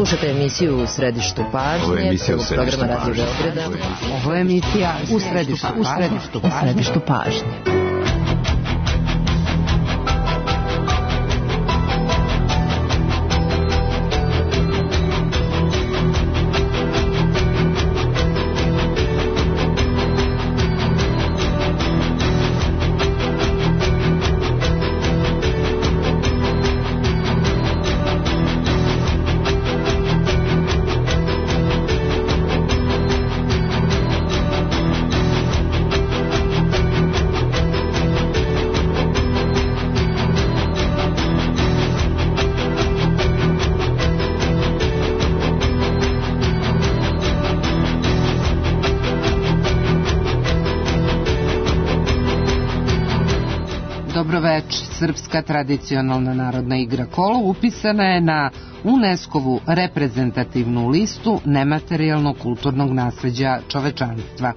Slušajte emisiju U središtu pažnje, prvog programa Radio Beograda. Ovo je emisija U središtu pažnje. Srpska tradicionalna narodna igra kolo upisana je na UNESCO-vu reprezentativnu listu nematerijalnog kulturnog nasleđa čovečanstva.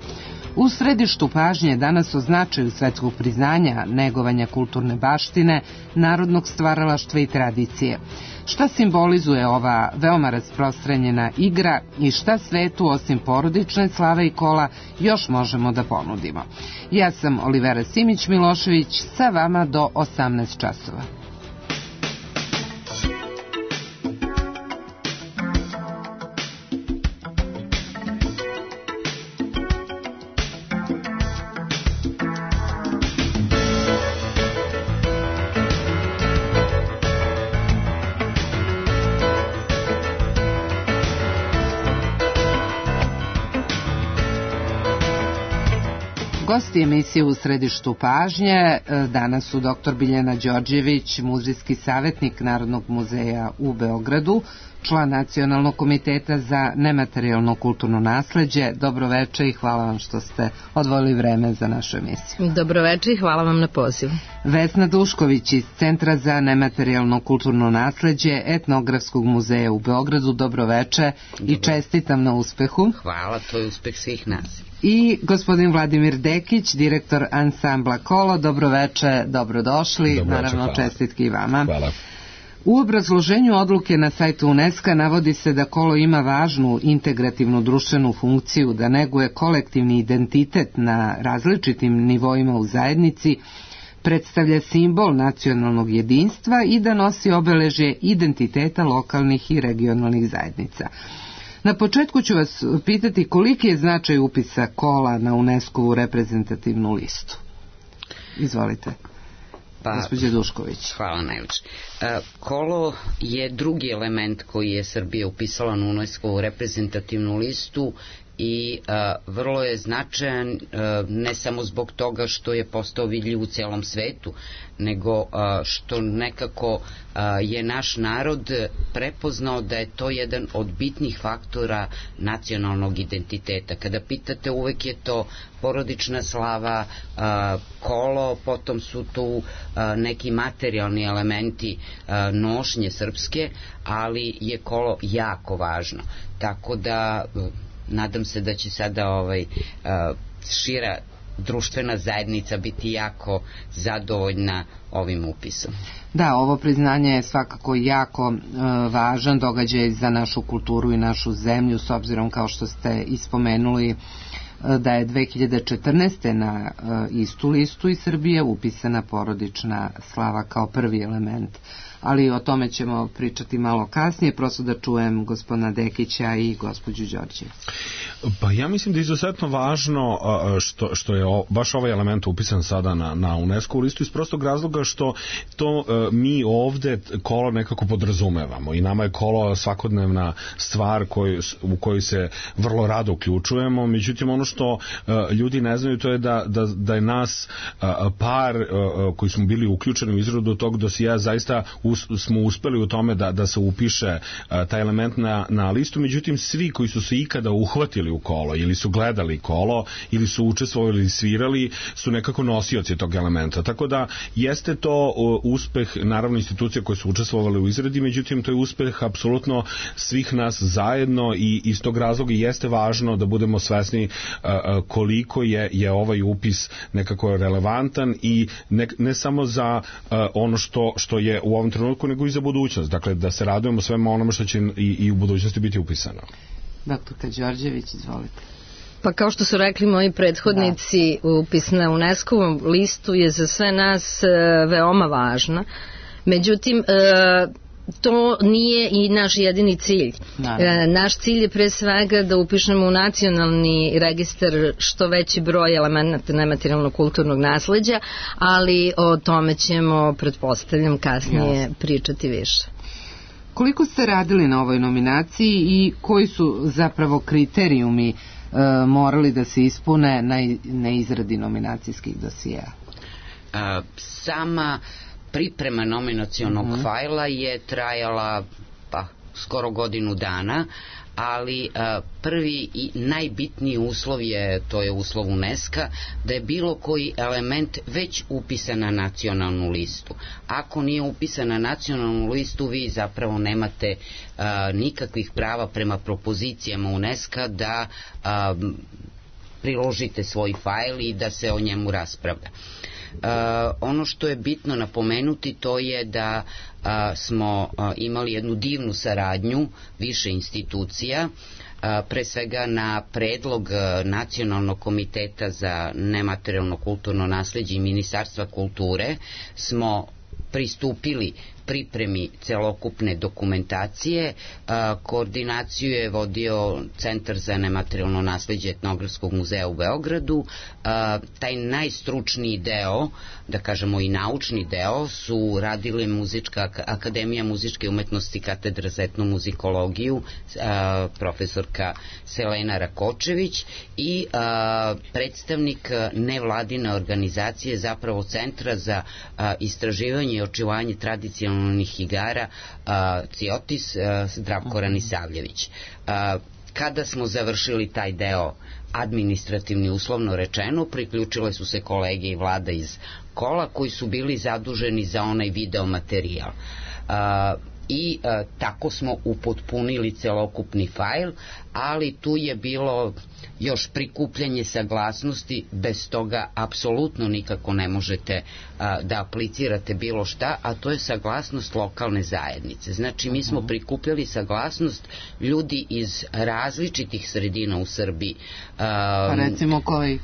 U središtu pažnje danas o značaju svetskog priznanja, negovanja kulturne baštine, narodnog stvaralaštva i tradicije. Šta simbolizuje ova veoma rasprostranjena igra i šta svetu osim porodične slave i kola još možemo da ponudimo? Ja sam Olivera Simić-Milošević, sa vama do 18 časova. Gosti emisije U središtu pažnje danas su dr. Biljana Đorđević, muzejski savjetnik Narodnog muzeja u Beogradu, član Nacionalnog komiteta za nematerijalno kulturno nasleđe. Dobroveče i hvala vam što ste odvojili vreme za našu emisiju. Dobroveče i hvala vam na pozivu. Vesna Dušković iz Centra za nematerijalno kulturno nasleđe Etnografskog muzeja u Beogradu. Dobroveče i čestitam na uspehu. Hvala, to je uspeh svih nas. I gospodin Vladimir Dekić, direktor ansambla Kolo. Dobroveče, dobrodošli. Dobroveče, naravno hvala. Čestitke i vama. Hvala. U obrazloženju odluke na sajtu UNESCO navodi se da kolo ima važnu integrativnu društvenu funkciju, da neguje kolektivni identitet na različitim nivoima u zajednici, predstavlja simbol nacionalnog jedinstva i da nosi obeležje identiteta lokalnih i regionalnih zajednica. Na početku ću vas pitati koliki je značaj upisa kola na UNESCO-vu reprezentativnu listu. Izvolite. Gospođe Dušković. Hvala najviše. Kolo je drugi element koji je Srbija upisala na UNESCO-vu reprezentativnu listu i vrlo je značajan ne samo zbog toga što je postao vidljiv u celom svetu, nego što nekako je naš narod prepoznao da je to jedan od bitnih faktora nacionalnog identiteta. Kada pitate, uvek je to porodična slava, kolo, potom su tu neki materijalni elementi nošnje srpske, ali je kolo jako važno. Tako da nadam se da će sada šira društvena zajednica biti jako zadovoljna ovim upisom. Da, ovo priznanje je svakako jako važan događaj za našu kulturu i našu zemlju, s obzirom, kao što ste ispomenuli, da je 2014. na istu listu iz Srbije upisana porodična slava kao prvi element. Ali o tome ćemo pričati malo kasnije, prosto da čujem gospodina Dekića i gospođu Đorđević. Pa ja mislim da je izuzetno važno što je baš ovaj element upisan sada na UNESCO listu iz prostog razloga što to mi ovde kolo nekako podrazumevamo i nama je kolo svakodnevna stvar u kojoj se vrlo rado uključujemo, međutim ono što ljudi ne znaju to je da je nas par koji smo bili uključeni u izradu tog dosija zaista smo uspeli u tome da se upiše taj element na listu, međutim svi koji su se ikada uhvatili u kolo ili su gledali kolo ili su učestvovali ili svirali su nekako nosioci tog elementa, tako da jeste to uspeh naravno institucija koje su učestvovali u izradi, međutim to je uspeh apsolutno svih nas zajedno i iz tog razloga jeste važno da budemo svesni koliko je ovaj upis nekako relevantan i ne samo za ono što je u ovom trenutku trenutku, nego i za budućnost. Dakle, da se radujemo svema onome što će i u budućnosti biti upisano. Doktorka Đorđević, izvolite. Pa kao što su rekli moji prethodnici, upis na UNESCO-ovom listu je za sve nas veoma važna. Međutim, to nije i naš jedini cilj. Naš cilj je pre svega da upišemo u nacionalni registar što veći broj elemenata nematerijalnog kulturnog nasleđa, ali o tome ćemo, pretpostavljam, kasnije pričati više. Koliko ste radili na ovoj nominaciji i koji su zapravo kriterijumi morali da se ispune na izradi nominacijskih dosijea? Sama priprema nominacionog fajla je trajala skoro godinu dana, ali prvi i najbitniji uslov to je uslov UNESCO-a, da je bilo koji element već upisan na nacionalnu listu. Ako nije upisan na nacionalnu listu, vi zapravo nemate nikakvih prava prema propozicijama UNESCO-a da priložite svoj fajl i da se o njemu raspravlja. Ono što je bitno napomenuti, to je da smo imali jednu divnu saradnju više institucija, pre svega na predlog Nacionalnog komiteta za nematerijalno kulturno nasleđe i Ministarstva kulture smo pristupili pripremi celokupne dokumentacije. Koordinaciju je vodio Centar za nematerijalno nasleđe Etnografskog muzeja u Beogradu. Taj najstručniji deo, da kažemo i naučni deo, su radile Akademija muzičke umetnosti, katedra za etnomuzikologiju, profesorka Selena Rakočević i predstavnik nevladine organizacije, zapravo Centra za istraživanje i očuvanje tradicionalnih igara CIOTIS, Zdravko Ranisavljević. Kada smo završili taj deo administrativni, uslovno rečeno, priključile su se kolege i vlada iz Kola koji su bili zaduženi za onaj video materijal. I tako smo upotpunili celokupni fajl, ali tu je bilo još prikupljanje saglasnosti, bez toga apsolutno nikako ne možete da aplicirate bilo šta, a to je saglasnost lokalne zajednice. Znači, mi smo prikupljali saglasnost ljudi iz različitih sredina u Srbiji. Recimo koji?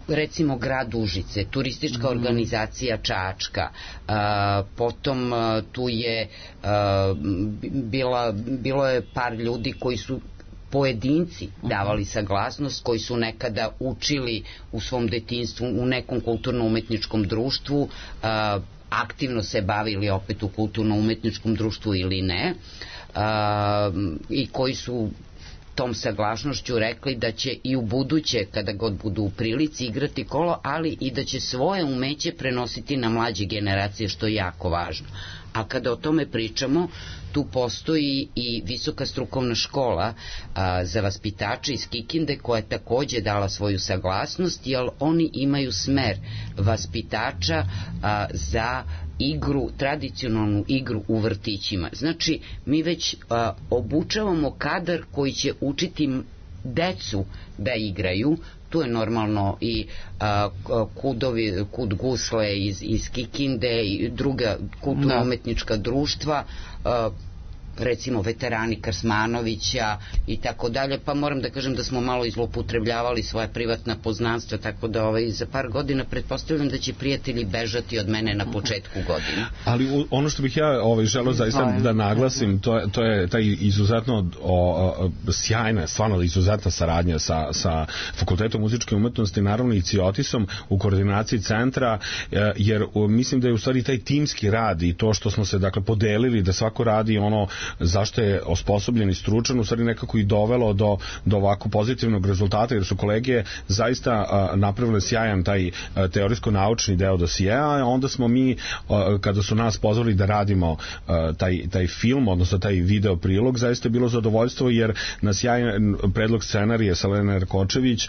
Recimo grad Užice, turistička organizacija Čačka, potom tu je bilo je par ljudi koji su pojedinci davali saglasnost, koji su nekada učili u svom detinjstvu u nekom kulturno-umetničkom društvu, aktivno se bavili opet u kulturno-umetničkom društvu ili ne, i koji su tom saglasnošću rekli da će i u buduće, kada god budu u prilici, igrati kolo, ali i da će svoje umeće prenositi na mlađe generacije, što je jako važno. A kada o tome pričamo, tu postoji i Visoka strukovna škola za vaspitače iz Kikinde, koja je takođe dala svoju saglasnost, jer oni imaju smer vaspitača za igru, tradicionalnu igru u vrtićima. Znači, mi već obučavamo kadar koji će učiti decu da igraju. Tu je normalno i Kud Gusle iz Kikinde i druga kulturno-umetnička društva, recimo veterani Krsmanovića i tako dalje, pa moram da kažem da smo malo izlopotrebljavali svoje privatna poznanstva, tako da za par godina pretpostavljam da će prijatelji bežati od mene na početku godine. Ali ono što bih ja želeo zaista da naglasim, to je taj izuzetno sjajna, stvarno izuzetna saradnja sa Fakultetom muzičke umetnosti, naravno i CIOTIS-om u koordinaciji centra, jer mislim da je u stvari taj timski rad i to što smo se podelili da svako radi ono zašto je osposobljen i stručan, u stvari nekako i dovelo do ovako pozitivnog rezultata, jer su kolege zaista napravile sjajan taj teorijsko-naučni deo dosijea, a onda smo mi, kada su nas pozvali da radimo taj film, odnosno taj video prilog, zaista je bilo zadovoljstvo, jer na sjajan predlog scenarije Selene Rakočević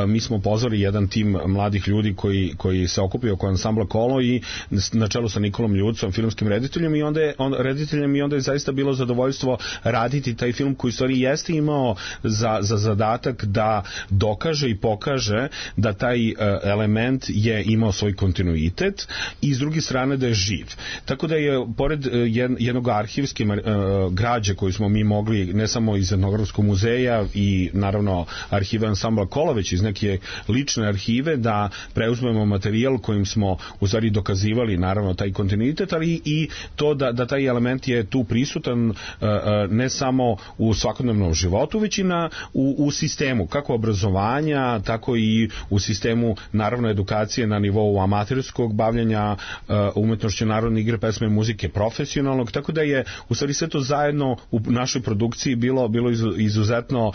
mi smo pozvali jedan tim mladih ljudi koji se okupio oko ansambla Kolo i na čelu sa Nikolom Ljucom, filmskim rediteljem, i onda je zaista bilo bilo zadovoljstvo raditi taj film koji u stvari jeste imao za zadatak da dokaže i pokaže da taj element je imao svoj kontinuitet i s druge strane da je živ. Tako da je pored jednog arhivske građe koju smo mi mogli ne samo iz Etnografskog muzeja i naravno arhiva Ansambla Kola, već iz neke lične arhive da preuzmemo materijal kojim smo u stvari dokazivali naravno taj kontinuitet, ali i to da taj element je tu prisutan ne samo u svakodnevnom životu, već i u sistemu, kako obrazovanja, tako i u sistemu naravno edukacije na nivou amaterskog bavljanja umetnošću narodne igre, pesme i muzike profesionalnog, tako da je u stvari sve to zajedno u našoj produkciji bilo izuzetno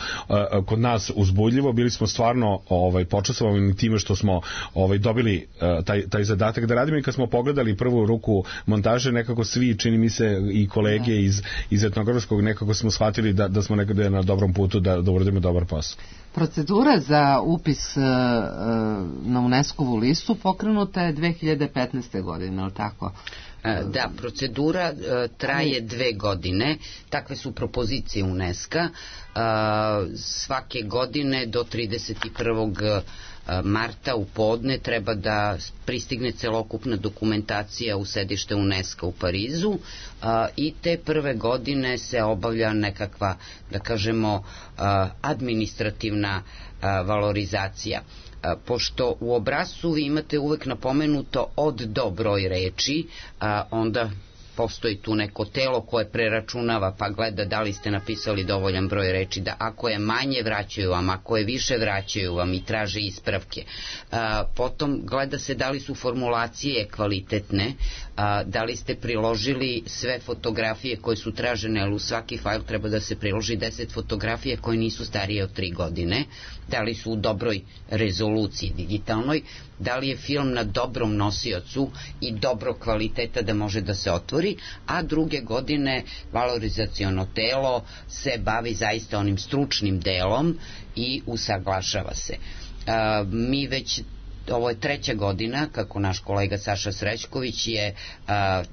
kod nas uzbudljivo. Bili smo stvarno počastvovani time što smo dobili taj zadatak da radimo i kad smo pogledali prvu ruku montaže, nekako svi, čini mi se i kolege iz Etnografskog, nekako smo shvatili da smo nekada na dobrom putu da uradimo dobar posao. Procedura za upis na UNESCO-vu listu pokrenuta je 2015. godine, ali tako? Da, procedura traje 2 godine, takve su propozicije UNESCO-a, svake godine do 31. marta u podne treba da pristigne celokupna dokumentacija u sedište UNESCO u Parizu i te prve godine se obavlja nekakva, da kažemo, administrativna valorizacija. Pošto u obrascu vi imate uvek napomenuto od do broj reči, onda postoji tu neko telo koje preračunava pa gleda da li ste napisali dovoljan broj reči, da ako je manje vraćaju vam, ako je više vraćaju vam i traže ispravke. Potom gleda se da li su formulacije kvalitetne, da li ste priložili sve fotografije koje su tražene, jer u svaki fajl treba da se priloži 10 fotografije koje nisu starije od 3 godine, da li su u dobroj rezoluciji digitalnoj, da li je film na dobrom nosiocu i dobro kvaliteta da može da se otvori, a druge godine valorizaciono telo se bavi zaista onim stručnim delom i usaglašava se. Mi već ovo je 3. godina kako naš kolega Saša Srećković je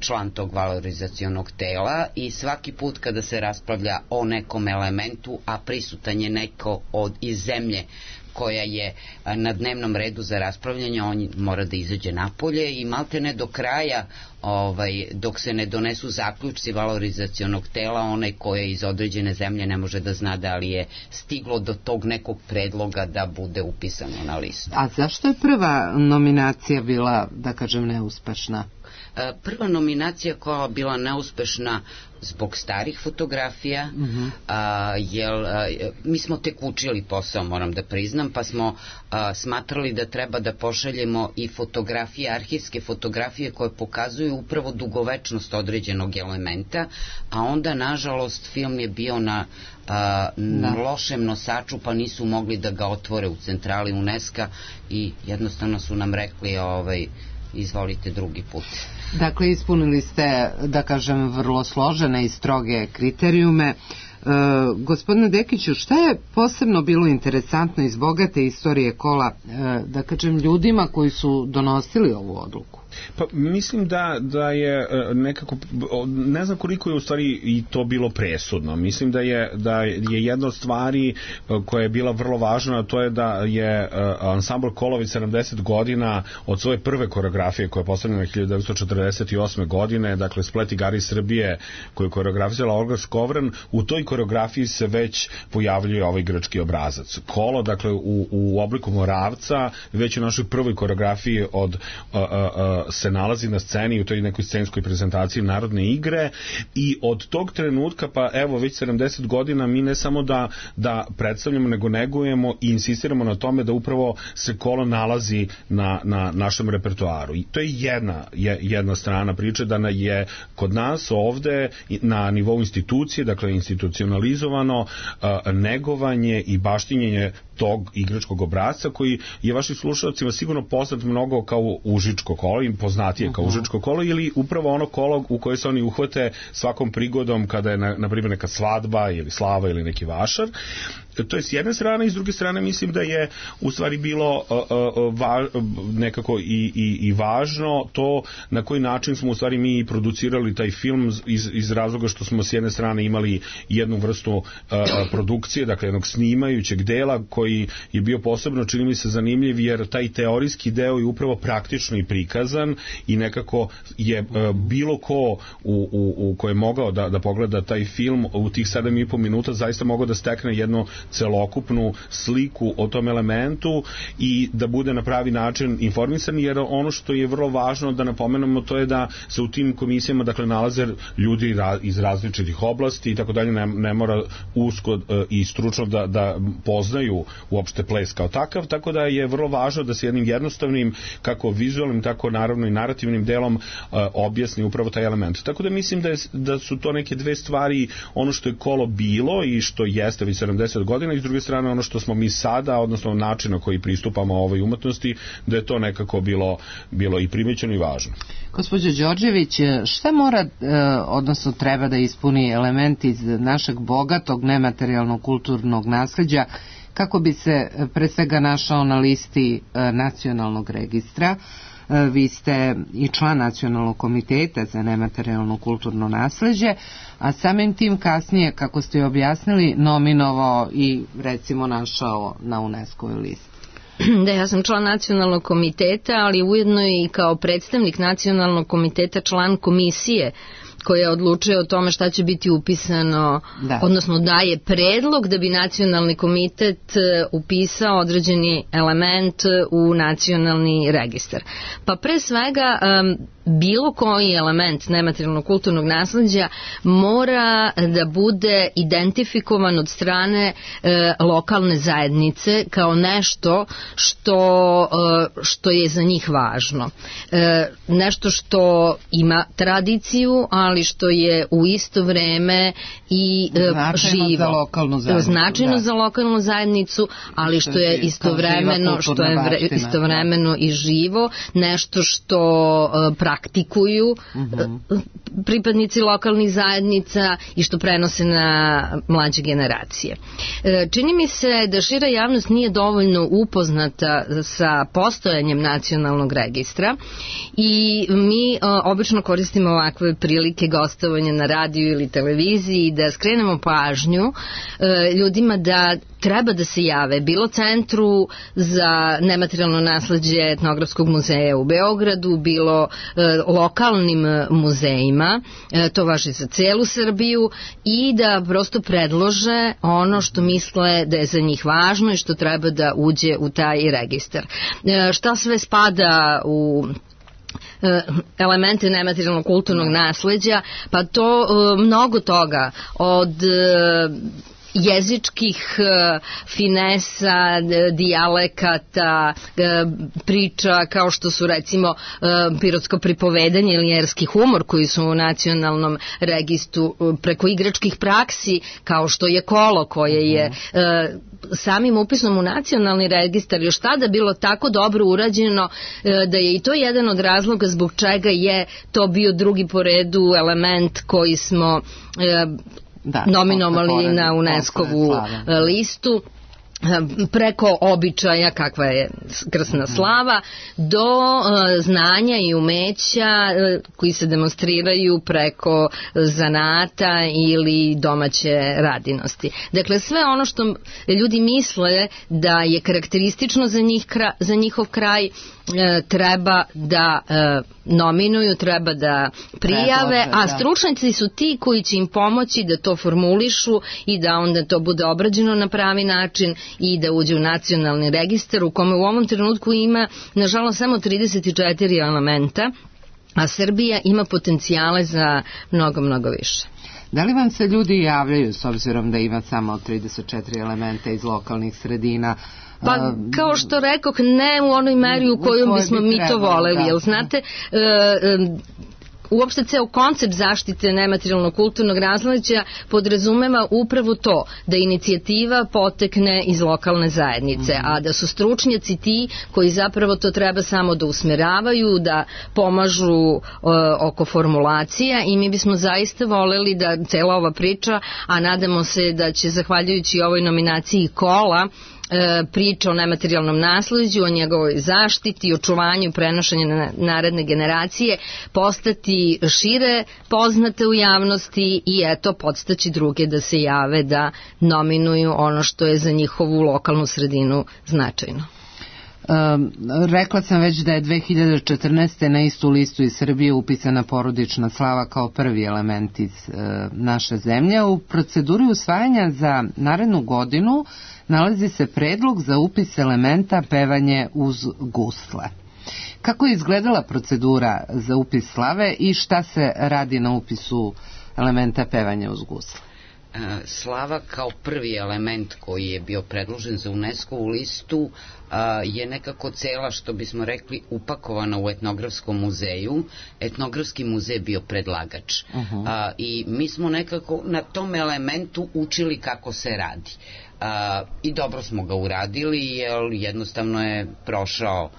član tog valorizacionog tela i svaki put kada se raspravlja o nekom elementu, a prisutan je neko iz zemlje koja je na dnevnom redu za raspravljanje, on mora da izađe napolje i maltene do kraja, dok se ne donesu zaključci valorizacionog tela, onaj ko je iz određene zemlje ne može da zna da li je stiglo do tog nekog predloga da bude upisano na listu. A zašto je prva nominacija bila, da kažem, neuspešna? Prva nominacija koja je bila neuspešna zbog starih fotografija, jer mi smo tek učili posao, moram da priznam, pa smo smatrali da treba da pošaljemo i fotografije, arhivske fotografije koje pokazuju upravo dugovečnost određenog elementa, a onda nažalost film je bio na lošem nosaču, pa nisu mogli da ga otvore u centrali UNESCO i jednostavno su nam rekli izvolite drugi put. Dakle, ispunili ste, da kažem, vrlo složene i stroge kriterijume. Gospodine Dekiću, šta je posebno bilo interesantno iz bogate istorije kola, da kažem, ljudima koji su donosili ovu odluku? Pa mislim da je nekako, ne znam koliko je u stvari i to bilo presudno. Mislim da je jedna od stvari koja je bila vrlo važna, a to je da je ansambl Kolović 70 godina od svoje prve koreografije koja je postavljena 1948. godine, dakle Splet igara iz Srbije koju je koreografisala Olga Skovran, u toj koreografiji se već pojavljuje ovaj grčki obrazac. Kolo, dakle u obliku Moravca, već u našoj prvoj koreografiji se nalazi na sceni u toj nekoj scenskoj prezentaciji narodne igre i od tog trenutka pa evo već 70 godina mi ne samo da predstavljamo nego negujemo i insistiramo na tome da upravo se kolo nalazi na našem repertoaru i to je jedna strana priče, da je kod nas ovde na nivou institucije, dakle institucionalizovano negovanje i baštinjenje tog igračkog obrazca koji je vašim slušalcima sigurno poznat mnogo kao Užičko kolo, im poznatije kao Užičko kolo ili upravo ono kolo u koje se oni uhvate svakom prigodom kada je na primjer neka svadba ili slava ili neki vašar to je s jedne strane, i s druge strane mislim da je u stvari bilo nekako i važno to na koji način smo u stvari mi producirali taj film iz razloga što smo s jedne strane imali jednu vrstu produkcije, dakle jednog snimajućeg dela koji je bio posebno, čini mi se, zanimljiv, jer taj teorijski deo je upravo praktično i prikazan i nekako je bilo ko ko je mogao da pogleda taj film u tih 7,5 minuta zaista mogao da stekne jednu celokupnu sliku o tom elementu i da bude na pravi način informisan, jer ono što je vrlo važno da napomenemo to je da se u tim komisijama dakle nalaze ljudi iz različitih oblasti i tako dalje, ne mora usko i stručno da poznaju uopšte ples kao takav, tako da je vrlo važno da se jednim jednostavnim kako vizualnim, tako naravno i narativnim delom objasni upravo taj element. Tako da mislim da su to neke dve stvari, ono što je kolo bilo i što jeste već 70 godina i s druge strane ono što smo mi sada, odnosno način na koji pristupamo ovoj umetnosti, da je to nekako bilo i primećeno i važno. Gospođo Đorđević, šta mora, odnosno treba da ispuni element iz našeg bogatog nematerijalnog kulturnog nasleđa kako bi se pre svega našao na listi nacionalnog registra? Vi ste i član Nacionalnog komiteta za nematerijalno kulturno nasleđe, a samim tim kasnije, kako ste objasnili, nominovao i recimo našao na UNESCO-voj listi. Da, ja sam član Nacionalnog komiteta, ali ujedno i kao predstavnik Nacionalnog komiteta član komisije koja odlučuje o tome šta će biti upisano, odnosno daje predlog da bi Nacionalni komitet upisao određeni element u nacionalni registar. Pa pre svega bilo koji element nematerijalnog kulturnog nasleđa mora da bude identifikovan od strane lokalne zajednice kao nešto što je za njih važno. Nešto što ima tradiciju, ali što je u isto vreme i živo. Značajno za lokalnu zajednicu, ali što je istovremeno i živo, nešto što praktikuju pripadnici lokalnih zajednica i što prenose na mlađe generacije. Čini mi se da šira javnost nije dovoljno upoznata sa postojanjem nacionalnog registra i mi obično koristimo ovakve prilike gostovanja na radiju ili televiziji da skrenemo pažnju ljudima da treba da se jave bilo Centru za nematerijalno nasleđe Etnografskog muzeja u Beogradu, bilo lokalnim muzejima, to važi za celu Srbiju, i da prosto predlože ono što misle da je za njih važno i što treba da uđe u taj registar. Šta sve spada u elemente nematerijalnog kulturnog nasleđa? Pa to mnogo toga, od jezičkih finesa, dijalekata, priča kao što su recimo pirotsko pripovedanje ili erski humor koji su u nacionalnom registru, preko igračkih praksi kao što je kolo koje je samim upisom u nacionalni registar još tada bilo tako dobro urađeno da je i to jedan od razloga zbog čega je to bio drugi po redu element koji smo nominovali na UNESCO-vu listu, preko običaja kakva je krsna slava do znanja i umeća koji se demonstriraju preko zanata ili domaće radinosti. Dakle, sve ono što ljudi misle da je karakteristično za njihov kraj treba da nominuju, treba da prijave, a stručnjaci su ti koji će im pomoći da to formulišu i da onda to bude obrađeno na pravi način i da uđe u nacionalni registar u kome u ovom trenutku ima nažalost samo 34 elementa, a Srbija ima potencijale za mnogo, mnogo više. Da li vam se ljudi javljaju s obzirom da ima samo 34 elementa iz lokalnih sredina? Pa kao što rekoh, ne u onoj meri u kojoj bismo mi to voleli, jer znate, uopšte ceo koncept zaštite nematerijalnog kulturnog nasleđa podrazumeva upravo to, da inicijativa potekne iz lokalne zajednice, a da su stručnjaci ti koji zapravo to treba samo da usmeravaju, da pomažu oko formulacija, i mi bismo zaista voleli da cela ova priča, a nadamo se da će zahvaljujući ovoj nominaciji Kola priča o nematerijalnom nasleđu, o njegovoj zaštiti, očuvanju i prenošenju na naredne generacije postati šire poznate u javnosti i eto podstaći druge da se jave da nominuju ono što je za njihovu lokalnu sredinu značajno. Rekla sam već da je 2014. na istu listu iz Srbije upisana porodična slava kao prvi element iz naše zemlje. U proceduri usvajanja za narednu godinu nalazi se predlog za upis elementa pevanje uz gusle. Kako je izgledala procedura za upis slave i šta se radi na upisu elementa pevanja uz gusle? Slava kao prvi element koji je bio predložen za UNESCO-vu listu je nekako cela, što bismo rekli, upakovana u etnografskom muzeju. Etnografski muzej bio predlagač. I mi smo nekako na tom elementu učili kako se radi. I dobro smo ga uradili, jer jednostavno je prošao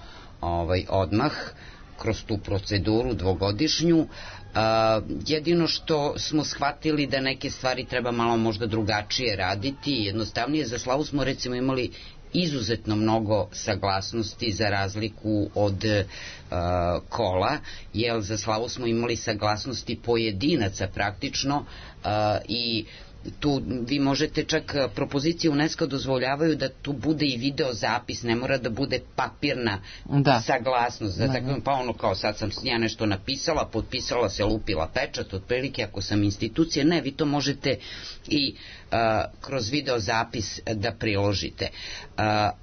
odmah kroz tu proceduru dvogodišnju. Jedino što smo shvatili da neke stvari treba malo možda drugačije raditi, jednostavnije. Za slavu smo recimo imali izuzetno mnogo saglasnosti za razliku od Kola, jer za slavu smo imali saglasnosti pojedinaca praktično i tu vi možete čak, propozicije UNESCO dozvoljavaju da tu bude i video zapis, ne mora da bude papirna saglasnost. Pa ono kao sad sam ja nešto napisala, potpisala se, lupila pečat, otprilike ako sam institucija, ne, vi to možete i kroz video zapis da priložite.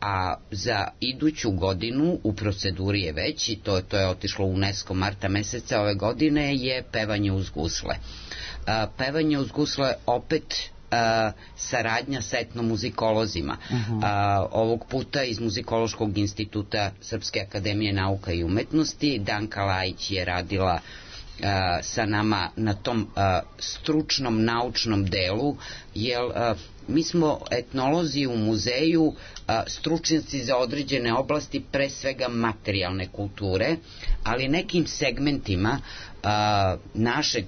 A za iduću godinu u proceduri je već, i to je otišlo u UNESCO marta meseca ove godine, je pevanje uz gusle. Pevanje uz gusle opet saradnja sa etnomuzikolozima. Ovog puta iz Muzikološkog instituta Srpske akademije nauka i umetnosti. Danka Lajić je radila sa nama na tom stručnom naučnom delu, jer mi smo etnolozi u muzeju, stručnjaci za određene oblasti, pre svega materijalne kulture, ali nekim segmentima našeg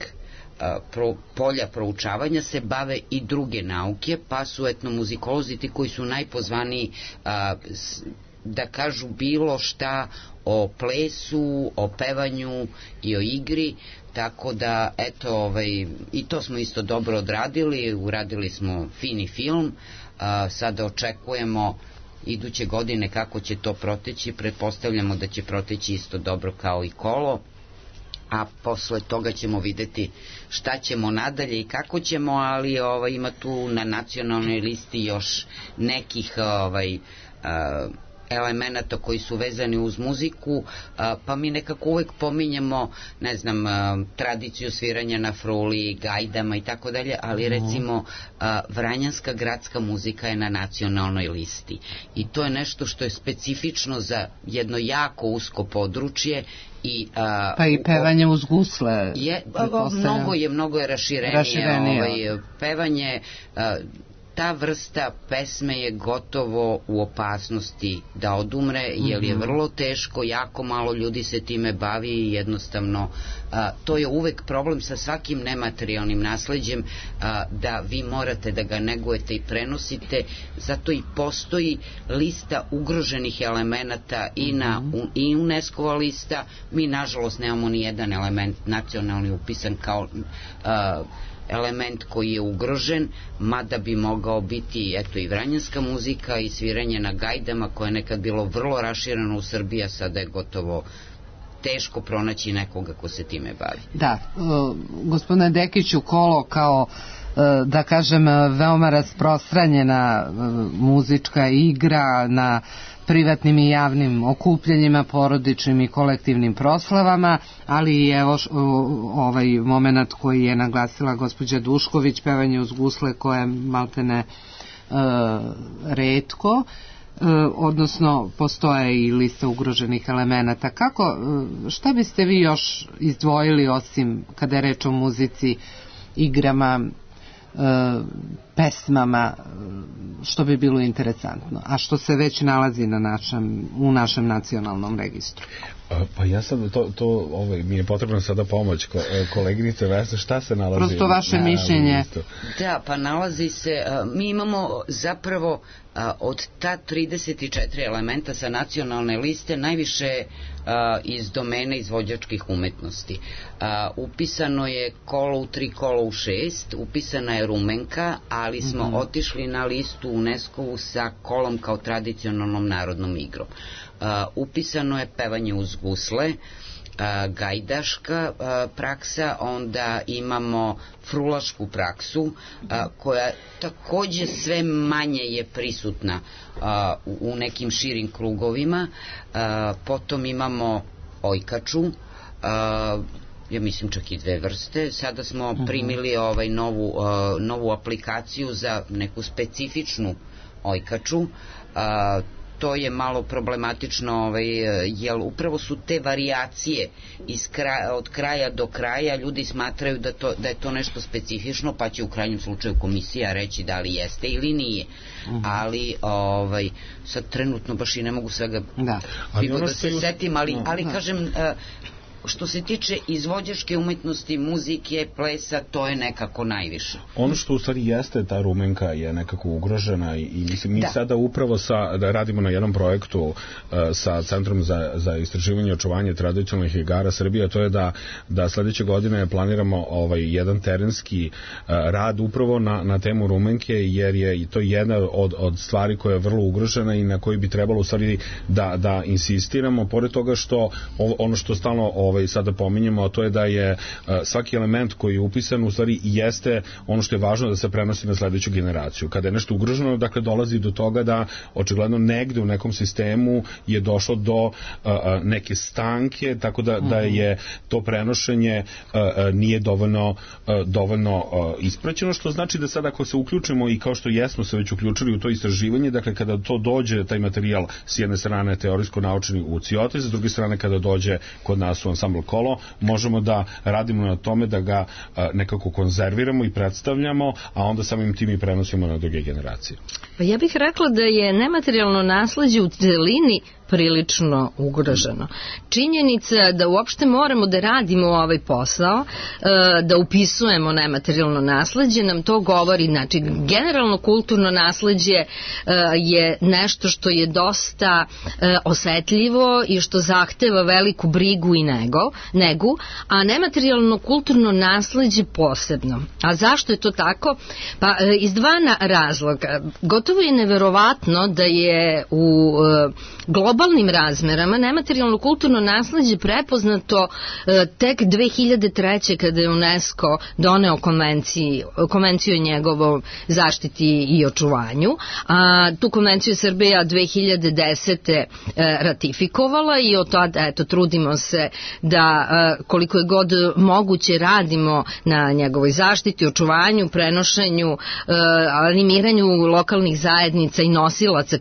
polja proučavanja se bave i druge nauke, pa su etnomuzikolozi ti koji su najpozvaniji da kažu bilo šta o plesu, o pevanju i o igri, tako da eto, i to smo isto dobro odradili, uradili smo fini film, sada očekujemo iduće godine kako će to proteći, pretpostavljamo da će proteći isto dobro kao i Kolo, a posle toga ćemo videti šta ćemo nadalje i kako ćemo, ali ima tu na nacionalnoj listi još nekih elemenata koji su vezani uz muziku, pa mi nekako uvek pominjemo, ne znam, tradiciju sviranja na fruli, gajdama i tako dalje, ali recimo vranjanska gradska muzika je na nacionalnoj listi i to je nešto što je specifično za jedno jako usko područje. Pa i pevanje uz gusle mnogo je raširenije. Pevanje, ta vrsta pesme je gotovo u opasnosti da odumre, jer je vrlo teško, jako malo ljudi se time bavi i jednostavno to je uvek problem sa svakim nematerijalnim nasleđem, da vi morate da ga negujete i prenosite, zato i postoji lista ugroženih elemenata i UNESCO-va lista. Mi nažalost nemamo ni jedan element nacionalni upisan kao element koji je ugrožen, mada bi mogao biti eto i vranjanska muzika i sviranje na gajdama koje je nekad bilo vrlo rašireno u Srbiji, a sada je gotovo teško pronaći nekoga ko se time bavi. Da, gospodine Dekiću, Kolo kao da kažem veoma rasprostranjena muzička igra na privatnim i javnim okupljanjima, porodičnim i kolektivnim proslavama, ali i evo ovaj moment koji je naglasila gospođa Dušković, pevanje uz gusle koje je maltene retko. odnosno postoje i lista ugroženih elemenata. Šta biste vi još izdvojili osim kada je reč o muzici, igrama, pesmama, što bi bilo interesantno, a što se već nalazi u našem nacionalnom registru? Pa ja sad mi je potrebna sada pomoć koleginice Vesne, šta se nalazi? Prosto vaše mišljenje. Da, pa nalazi se, mi imamo zapravo od ta 34 elementa sa nacionalne liste najviše iz domene izvođačkih umetnosti. Upisano je kolo u 3, kolo u 6, upisana je rumenka, ali smo otišli na listu UNESCO-vu sa kolom kao tradicionalnom narodnom igrom. Upisano je pevanje uz gusle, gajdaška praksa, onda imamo frulašku praksu koja takođe sve manje je prisutna u nekim širim krugovima. Potom imamo ojkaču, ja mislim čak i 2 vrste. Sada smo primili novu aplikaciju za neku specifičnu ojkaču. To je malo problematično, jer upravo su te varijacije od kraja do kraja, ljudi smatraju da je to nešto specifično, pa će u krajnjem slučaju komisija reći da li jeste ili nije. Ali sad trenutno baš i ne mogu svega da se setim, ali kažem, što se tiče izvođačke umetnosti, muzike, plesa, to je nekako najviše. Ono što u stvari jeste, ta rumenka je nekako ugrožena i mislim, mi sada upravo da radimo na jednom projektu sa Centrom za istraživanje i očuvanje tradicionalnih igara Srbije, to je da sledeće godine planiramo jedan terenski rad upravo na temu rumenke, jer je to jedna od stvari koja je vrlo ugrožena i na koji bi trebalo u stvari da insistiramo, pored toga što ono što stalno sada pominjemo, a to je da je svaki element koji je upisan u stvari jeste ono što je važno da se prenosi na sledeću generaciju. Kada je nešto ugroženo, dakle dolazi do toga da očigledno negde u nekom sistemu je došlo do neke stanke, tako da je to prenošenje nije dovoljno ispraćeno, što znači da sada ako se uključimo i kao što jesmo se već uključili u to istraživanje, dakle kada to dođe, taj materijal s jedne strane teorijsko-naučni u Cioti, s druge strane kada dođe kod nas u ansambl Kolo, možemo da radimo na tome da ga nekako konzerviramo i predstavljamo, a onda samim tim i prenosimo na druge generacije. Pa ja bih rekla da je nematerijalno nasleđe u celini prilično ugroženo. Činjenica da uopšte moramo da radimo ovaj posao, da upisujemo nematerijalno nasleđe, nam to govori, znači generalno kulturno nasleđe je nešto što je dosta osetljivo i što zahteva veliku brigu i negu, a nematerijalno kulturno nasleđe posebno. A zašto je to tako? Pa iz dva razloga. Gotovo je neverovatno da je u globalnim razmerama nematerijalno kulturno nasleđe prepoznato tek 2003. kada je UNESCO doneo konvenciju o njegovom zaštiti i očuvanju. Tu konvenciju Srbija 2010. ratifikovala i od tada trudimo se da koliko je god moguće radimo na njegovoj zaštiti, očuvanju, prenošenju, animiranju lokalnih zajednica i nosilaca,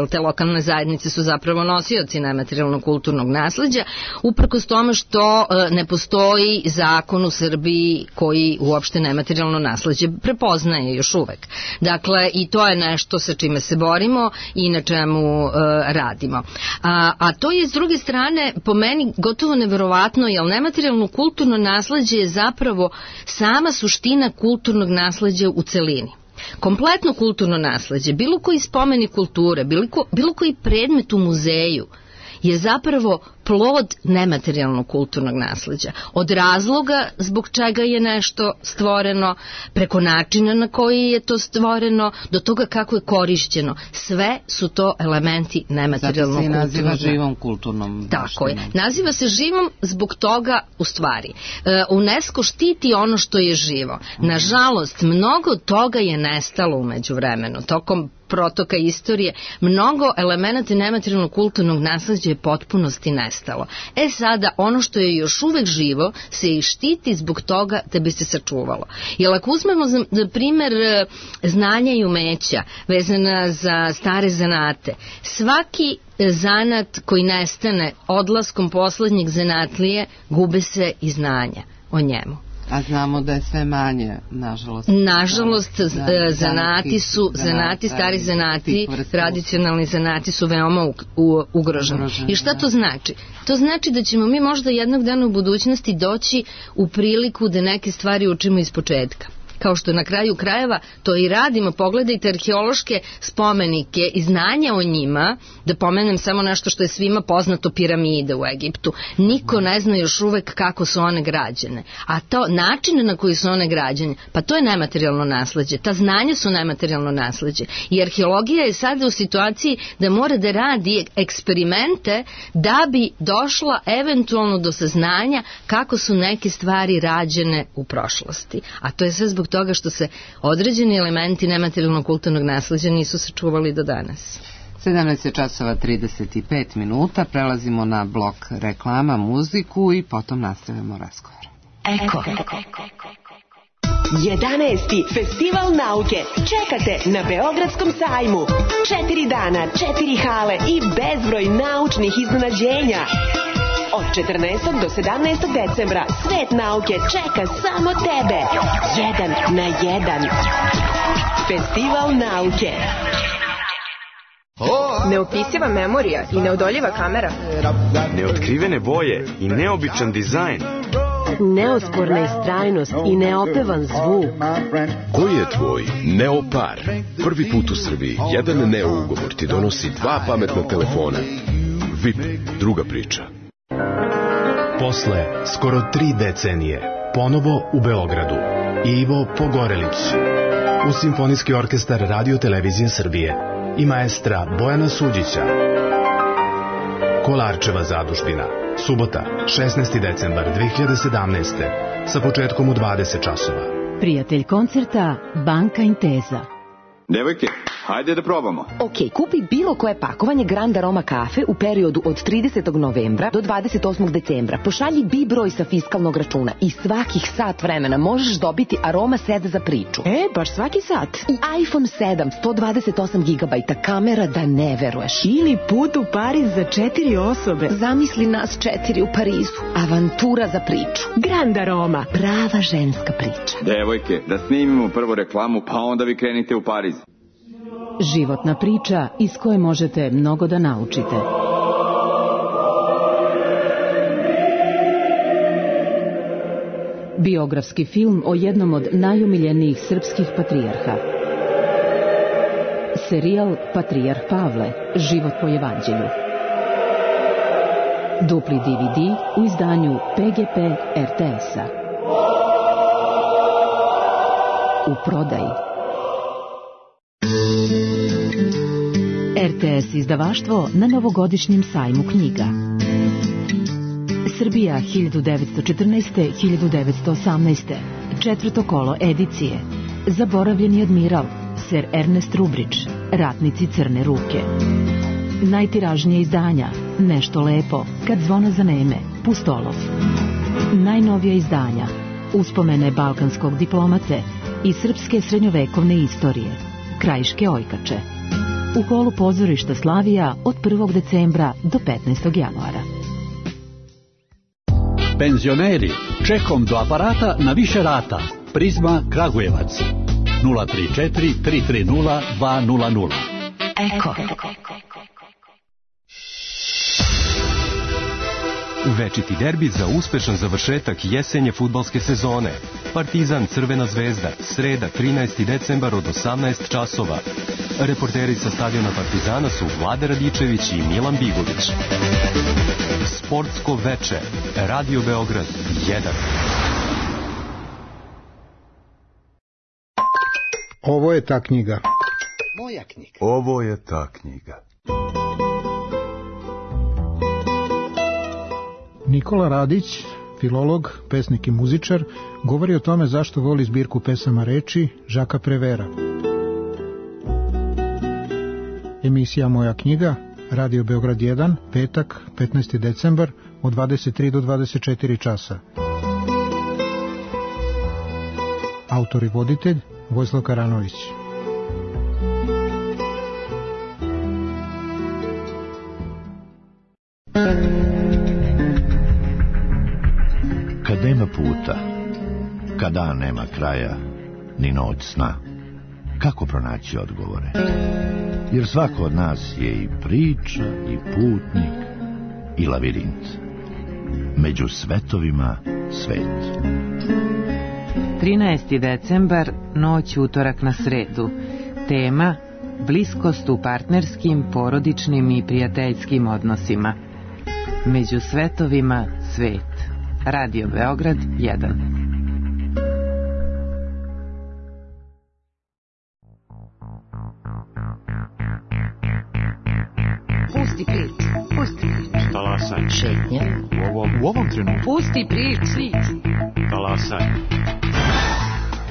te lokalne zajednice su zapravo nosioci nematerijalnog kulturnog nasleđa, uprkos tome što ne postoji zakon u Srbiji koji uopšte nematerijalno nasleđe prepoznaje još uvek. Dakle, i to je nešto sa čime se borimo i na čemu radimo. A to je s druge strane po meni gotovo neverovatno, jer nematerijalno kulturno nasleđe je zapravo sama suština kulturnog nasleđa u celini. Kompletno kulturno nasleđe, bilo koji spomenik kulture, bilo koji predmet u muzeju je zapravo plod nematerijalnog kulturnog nasleđa. Od razloga zbog čega je nešto stvoreno, preko načina na koji je to stvoreno, do toga kako je korišćeno. Sve su to elementi nematerijalnog kulturnog nasleđa. Zato se naziva živom kulturnom. Tako je. Naziva se živom zbog toga, u stvari. UNESCO štiti ono što je živo. Nažalost, mnogo toga je nestalo umeđu vremenu. Tokom protoka istorije, mnogo elemenata nematerijalnog kulturnog nasleđa je potpunosti nestalo. Sada, ono što je još uvek živo se i štiti zbog toga da bi se sačuvalo. Jer ako uzmemo za primer znanja i umeća vezana za stare zanate, svaki zanat koji nestane odlaskom poslednjih zanatlije, gube se i znanja o njemu. A znamo da je sve manje, nažalost. Nažalost, stari zanati, tradicionalni zanati su veoma ugroženi. I šta to znači? To znači da ćemo mi možda jednog dana u budućnosti doći u priliku da neke stvari učimo iz početka. Kao što na kraju krajeva to i radimo. Pogledajte arheološke spomenike i znanja o njima, da pomenem samo nešto što je svima poznato, piramide u Egiptu. Niko ne zna još uvek kako su one građene. A to način na koji su one građene, pa to je nematerijalno nasleđe. Ta znanja su nematerijalno nasleđe. I arheologija je sada u situaciji da mora da radi eksperimente da bi došla eventualno do saznanja kako su neke stvari rađene u prošlosti. A to je sve zbog toga što se određeni elementi nematerijalnog kulturnog nasleđa nisu sačuvali do danas. 17:35, prelazimo na blok reklama, muziku i potom nastavljamo razgovor. Eko. 11. Festival nauke čekate na Beogradskom sajmu. 4 dana, 4 hale i bezbroj naučnih iznenađenja. Od 14. do 17. decembra svet nauke čeka samo tebe. 1 na 1. Festival nauke. Neopisiva memorija i neodoljiva kamera. Neotkrivene boje i neobičan dizajn. Neosporna istrajnost i neopevan zvuk. Koji je tvoj Neopar? Prvi put u Srbiji jedan Neo ugovor ti donosi 2 pametna telefona. VIP, druga priča. Posle skoro 3 decenije, ponovo u Beogradu, Ivo Pogorelić, uz Simfonijski orkestar Radio Televizije Srbije i maestra Bojana Suđića. Kolarčeva zadužbina, subota, 16. decembar 2017. sa početkom u 20 časova. Prijatelj koncerta Banka Intesa. Devojke, hajde da probamo. Ok, kupi bilo koje pakovanje Grand Aroma kafe u periodu od 30. novembra do 28. decembra. Pošalji bi broj sa fiskalnog računa i svakih sat vremena možeš dobiti Aroma set za priču. Baš svaki sat. I iPhone 7, 128 GB, kamera da ne veruješ. Ili put u Pariz za 4 osobe. Zamisli nas 4 u Parizu. Avantura za priču. Grand Aroma. Prava ženska priča. Devojke, da snimimo prvo reklamu, pa onda vi krenite u Pariz. Životna priča iz koje možete mnogo da naučite. Biografski film o jednom od najomiljenijih srpskih patrijarha. Serijal Patrijarh Pavle, život po evanđelju. Dupli DVD u izdanju PGP RTS-a. U prodaji. RTS izdavaštvo na novogodišnjem sajmu knjiga. Srbija 1914-1918. 4. kolo edicije. Zaboravljeni admiral, Sir Ernest Rubrić, Ratnici crne ruke. Najtiražnije izdanja, Nešto lepo, Kad zvona zaneme, Pustolov. Najnovija izdanja, Uspomene balkanskog diplomate i srpske srednjovekovne istorije, Krajiške ojkače. U holu pozorišta Slavija od 1. decembra do 15. januara. Penzioneri, čekom do aparata na više rata. Prizma Kragujevac. 034 330 200. Eko. Večiti derbi za uspešan završetak jesenje fudbalske sezone. Partizan Crvena zvezda, sreda 13. decembar od 18 časova. Reporteri sa stadiona Partizana su Vlada Radičević i Milan Bigović. Sportsko veče, Radio Beograd 1. Ovo je ta knjiga. Moja knjiga. Ovo je ta knjiga. Nikola Radić, filolog, pesnik i muzičar, govori o tome zašto voli zbirku pesama reči Žaka Prevera. Emisija Moja knjiga, Radio Beograd 1, petak, 15. decembar, od 23 do 24 časa. Autor i voditelj Vojislav Karanović. Kad nema puta, kad dan nema kraja, ni noć sna, kako pronaći odgovore? Jer svako od nas je i priča, i putnik, i lavirint. Među svetovima svet. 13. decembar, noć utorak na sredu. Tema: bliskost u partnerskim, porodičnim i prijateljskim odnosima. Među svetovima svet. Radio Beograd 1. Pusti priču, pusti priču. Talasaj. Šetnja. U ovom trenutku. Pusti priču. Talasaj.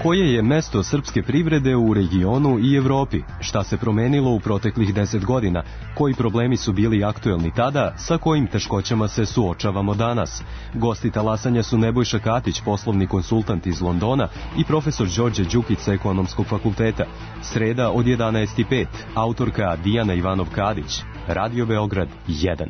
Koje je mesto srpske privrede u regionu i Evropi? Šta se promenilo u proteklih 10 godina? Koji problemi su bili aktuelni tada? Sa kojim teškoćama se suočavamo danas? Gosti talasanja su Nebojša Katić, poslovni konsultant iz Londona, i profesor Đorđe Đukić sa Ekonomskog fakulteta. Sreda od 11:05. Autorka Dijana Ivanov Kadić. Radio Beograd 1.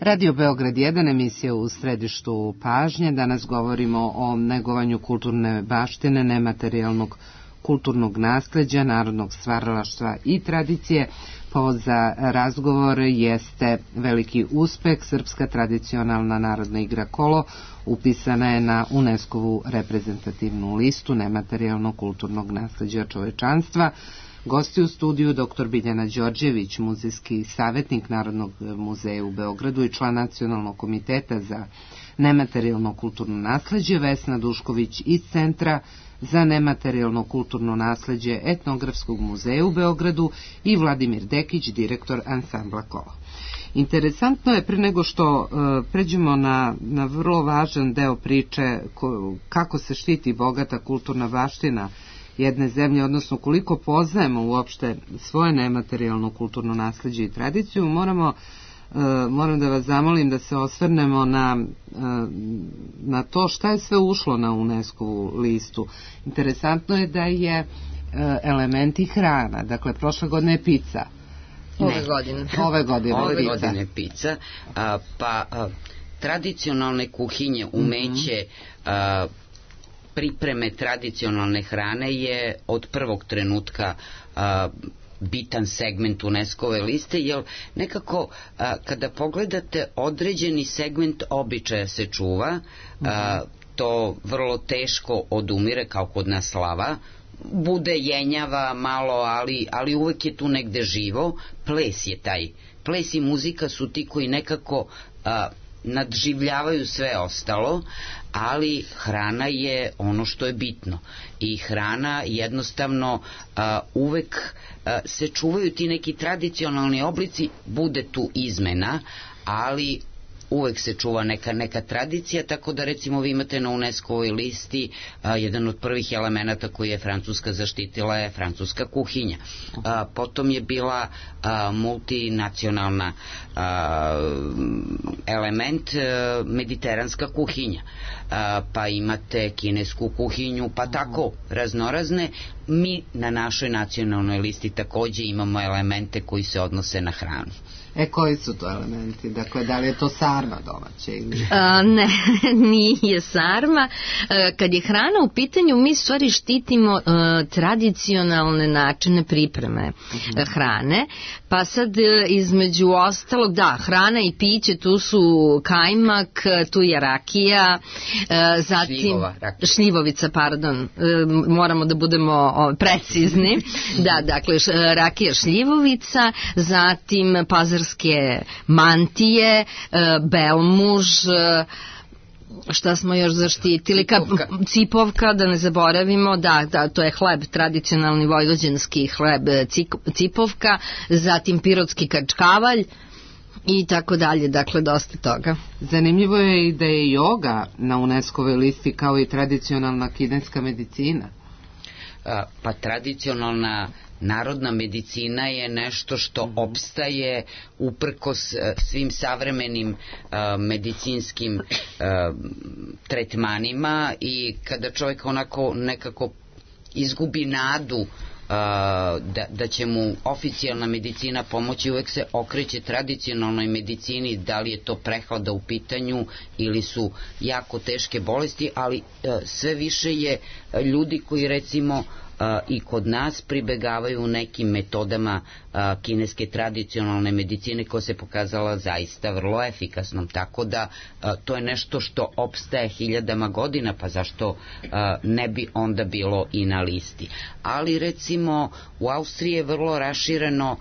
Radio Beograd 1, emisija u središtu pažnje. Danas govorimo o negovanju kulturne baštine, nematerijalnog kulturnog nasleđa, narodnog stvaralaštva i tradicije. Povod za razgovor jeste veliki uspeh. Srpska tradicionalna narodna igra kolo upisana je na UNESCO-vu reprezentativnu listu nematerijalnog kulturnog nasleđa čovečanstva. Gosti u studiju dr. Biljana Đorđević, muzejski savjetnik Narodnog muzeja u Beogradu i član Nacionalnog komiteta za nematerijalno kulturno nasleđe, Vesna Dušković iz Centra za nematerijalno kulturno nasleđe Etnografskog muzeja u Beogradu i Vladimir Dekić, direktor ansambla Kolo. Interesantno je, pre nego što pređemo na vrlo važan deo priče kako se štiti bogata kulturna baština jedne zemlje, odnosno koliko poznajemo uopšte svoje nematerijalno kulturno nasleđe i tradiciju, moram da vas zamolim da se osvrnemo na to šta je sve ušlo na UNESCO-vu listu. Interesantno je da je elementi hrana, dakle prošle godine je pizza. Ove godine pizza. Tradicionalne kuhinje, umeće, pripreme tradicionalne hrane je od prvog trenutka bitan segment UNESCO-ve liste, jer nekako kada pogledate određeni segment običaja se čuva, to vrlo teško odumire kao kod nas slava, bude jenjava malo, ali uvek je tu negde živo. Ples je taj. Ples i muzika su ti koji nekako nadživljavaju sve ostalo, ali hrana je ono što je bitno i hrana jednostavno uvek se čuvaju ti neki tradicionalni oblici, bude tu izmena, ali uvek se čuva neka tradicija, tako da recimo vi imate na UNESCO-ovoj listi jedan od prvih elemenata koji je Francuska zaštitila je francuska kuhinja. Potom je bila multinacionalna element mediteranska kuhinja, pa imate kinesku kuhinju, pa tako raznorazne. Mi na našoj nacionalnoj listi takođe imamo elemente koji se odnose na hranu. Koji su to elementi? Dakle, da li je to sarma domaća? Ne, nije sarma. Kad je hrana u pitanju, mi stvari štitimo tradicionalne načine pripreme hrane, pa sad između ostalog, da, hrana i piće, tu su kajmak, tu je rakija, zatim šljivovica, pardon, moramo da budemo precizni, da, dakle, rakija šljivovica, zatim pazarske mantije, belmuž, šta smo još zaštitili, cipovka, da ne zaboravimo, da, to je hleb, tradicionalni vojvođanski hleb, cipovka, zatim pirotski kačkavalj i tako dalje, dakle dosta toga. Zanimljivo je i da je joga na UNESCO-voj listi kao i tradicionalna kineska medicina. Pa tradicionalna narodna medicina je nešto što opstaje uprkos svim savremenim medicinskim tretmanima, i kada čovjek onako nekako izgubi nadu da će mu oficijalna medicina pomoći, uvek se okreće tradicionalnoj medicini, da li je to prehlada u pitanju ili su jako teške bolesti, ali sve više je ljudi koji recimo i kod nas pribegavaju nekim metodama kineske tradicionalne medicine koja se pokazala zaista vrlo efikasnom, tako da to je nešto što opstaje hiljadama godina, pa zašto ne bi onda bilo i na listi. Ali recimo u Austriji je vrlo rašireno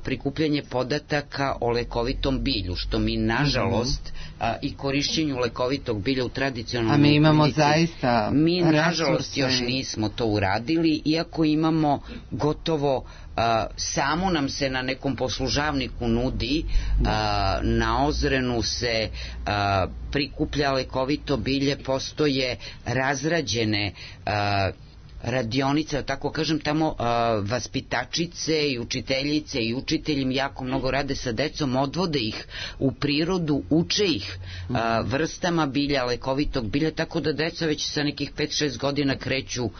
prikupljanje podataka o lekovitom bilju, što mi nažalost i korišćenju lekovitog bilja u tradicionalnoj medicini. A mi imamo zaista mi nažalost još nismo to uradili, iako imamo gotovo samo nam se na nekom poslužavniku nudi, na Ozrenu se prikuplja lekovito bilje, postoje razrađene radionica, tako kažem, tamo vaspitačice i učiteljice i učitelji jako mnogo rade sa decom, odvode ih u prirodu, uče ih vrstama bilja, lekovitog bilja, tako da deca već sa nekih 5-6 godina kreću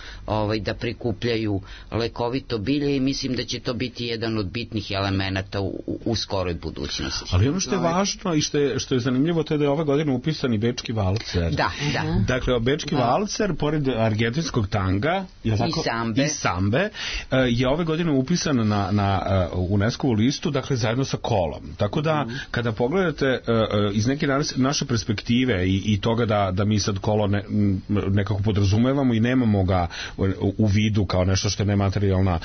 da prikupljaju lekovito bilje i mislim da će to biti jedan od bitnih elemenata u skoroj budućnosti. Ali ono što je važno i što je zanimljivo, to je da je ove godine upisan i Bečki valcer. Da. Dakle, Bečki valcer, pored argentinskog tanga i sambe, je ove godine upisan na UNESCO-vu listu, dakle, zajedno sa kolom. Tako da, kada pogledate iz neke naše perspektive i toga da mi sad kolo nekako podrazumevamo i nemamo ga u vidu kao nešto što je nematerijalna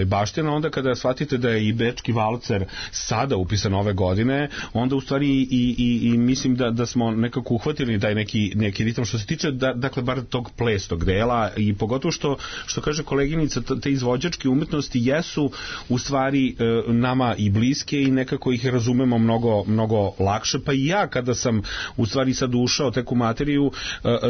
baština, onda kada shvatite da je i Bečki valcer sada upisan ove godine, onda u stvari i mislim da smo nekako uhvatili taj neki ritam što se tiče, dakle, bar tog plesnog dela i pogotovo što kaže koleginica, te izvođačke umetnosti jesu u stvari nama i bliske i nekako ih razumemo mnogo lakše, pa i ja kada sam u stvari sad ušao tek u materiju,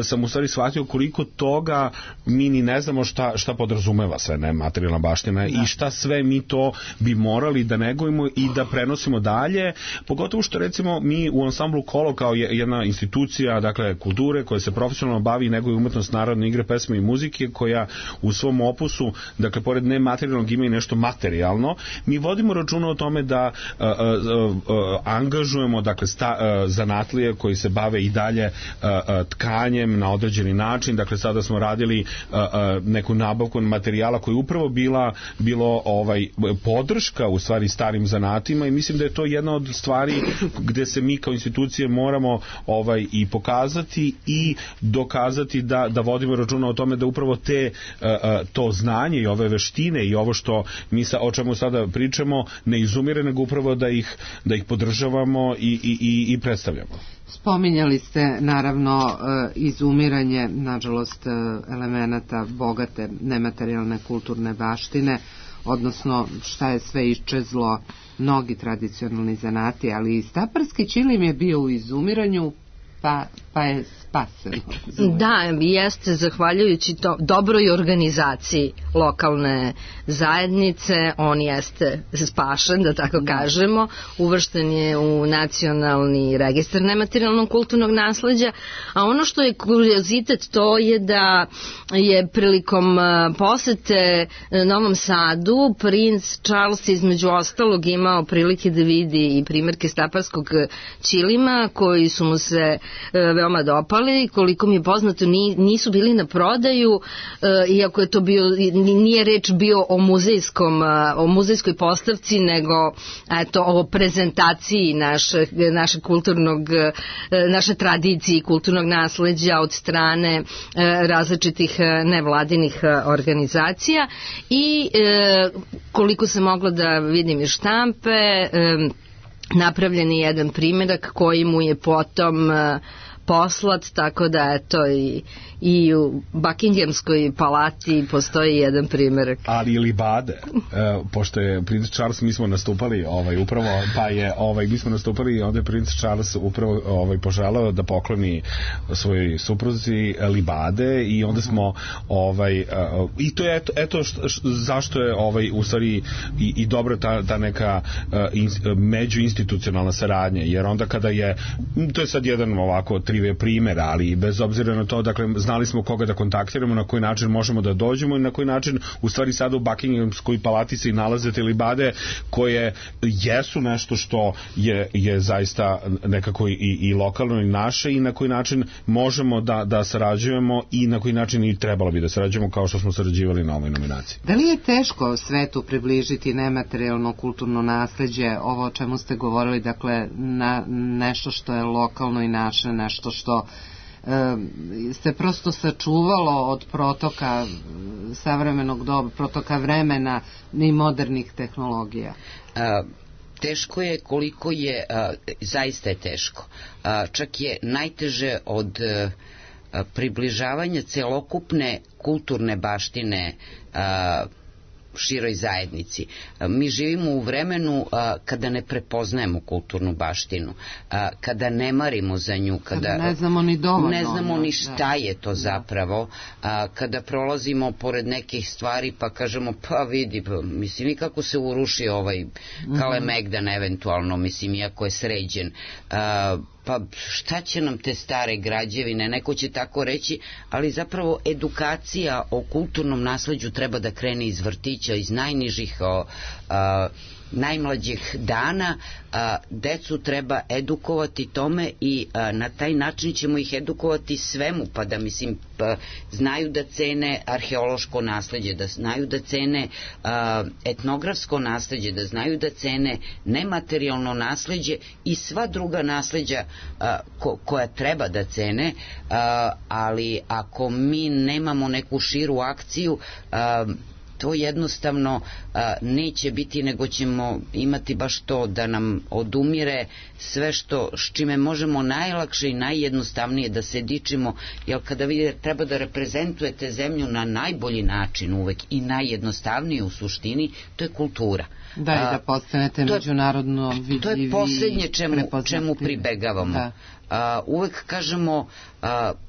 sam u stvari shvatio koliko toga mi ni ne znamo šta podrazumeva sve nematerijalna baština i šta sve mi to bi morali da negujemo i da prenosimo dalje, pogotovo što recimo mi u ansamblu Kolo kao jedna institucija, dakle, kulture koja se profesionalno bavi i neguje umetnost narodne igre, pesme i muzike, koja u svom opusu, dakle, pored nematerijalnog ima i nešto materijalno, mi vodimo računa o tome da angažujemo, dakle, zanatlije koji se bave i dalje tkanjem na određeni način, dakle, sada smo radili neku nabavku materijala koji je upravo bilo podrška u stvari starim zanatima i mislim da je to jedna od stvari gde se mi kao institucije moramo i pokazati i dokazati da vodimo računa o tome da upravo to znanje i ove veštine i ovo što mi o čemu sada pričamo ne izumire, nego upravo da ih podržavamo i predstavljamo. Spominjali ste naravno izumiranje, nažalost, elemenata bogate nematerijalne kulturne baštine, odnosno šta je sve iščezlo, mnogi tradicionalni zanati, ali i staparski ćilim je bio u izumiranju, pa je spasen. Da, jeste, zahvaljujući dobroj organizaciji lokalne zajednice, on jeste spašen, da tako kažemo, uvršten je u nacionalni registar nematerijalnog kulturnog nasleđa, a ono što je kuriozitet to je da je prilikom posete Novom Sadu princ Charles između ostalog imao prilike da vidi i primerke staparskog ćilima koji su mu se veoma dopali, koliko mi je poznato nisu bili na prodaju, iako je to nije reč bio o muzejskoj postavci, nego o prezentaciji naše tradicije i kulturnog nasleđa od strane različitih nevladinih organizacija i koliko sam mogla da vidim iz štampe, napravljen je jedan primjerak koji mu je potom poslat, tako da eto i u Buckinghamskoj palati postoji jedan primjerak. Ali i libade, pošto je princ Charles, mi smo nastupali upravo, mi smo nastupali i onda je princ Charles upravo poželao da pokloni svojoj supruzi libade i onda smo i to je eto zašto je u stvari i dobro ta neka međuinstitucionalna saradnja, jer onda kada to je sad jedan ovako trivial primjer, ali bez obzira na to, dakle, znali smo koga da kontaktiramo, na koji način možemo da dođemo i na koji način u stvari sada u Buckinghamskoj palati se i nalaze te libade koje jesu nešto što je zaista nekako i lokalno i naše i na koji način možemo da sarađujemo i na koji način i trebalo bi da sarađujemo kao što smo sarađivali na ovoj nominaciji. Da li je teško svetu približiti nematerijalno kulturno nasleđe, ovo o čemu ste govorili, dakle, na nešto što je lokalno i naše, nešto što se prosto sačuvalo od protoka savremenog doba, protoka vremena i modernih tehnologija? Teško je koliko je, zaista je teško. Čak je najteže od približavanja celokupne kulturne baštine široj zajednici. Mi živimo u vremenu kada ne prepoznajemo kulturnu baštinu, kada ne marimo za nju, kada ne znamo ni dovoljno, ne znamo ni šta je to zapravo, kada prolazimo pored nekih stvari pa kažemo pa vidi, mislim i kako se uruši ovaj Kalemegdan eventualno, mislim iako je sređen, pa šta će nam te stare građevine, neko će tako reći, ali zapravo edukacija o kulturnom nasleđu treba da krene iz vrtića, iz najnižih najmlađih dana. Decu treba edukovati tome i na taj način ćemo ih edukovati svemu, pa da mislim znaju da cene arheološko nasleđe, da znaju da cene etnografsko nasleđe, da znaju da cene nematerijalno nasleđe i sva druga nasleđa koja treba da cene, ali ako mi nemamo neku širu akciju, to jednostavno neće biti, nego ćemo imati baš to da nam odumire sve s čime možemo najlakše i najjednostavnije da se dičimo, jer kada vi treba da reprezentujete zemlju na najbolji način uvek i najjednostavnije u suštini, to je kultura. Da, i da postanete međunarodno vidljivi. To je poslednje čemu pribegavamo. Uvek kažemo,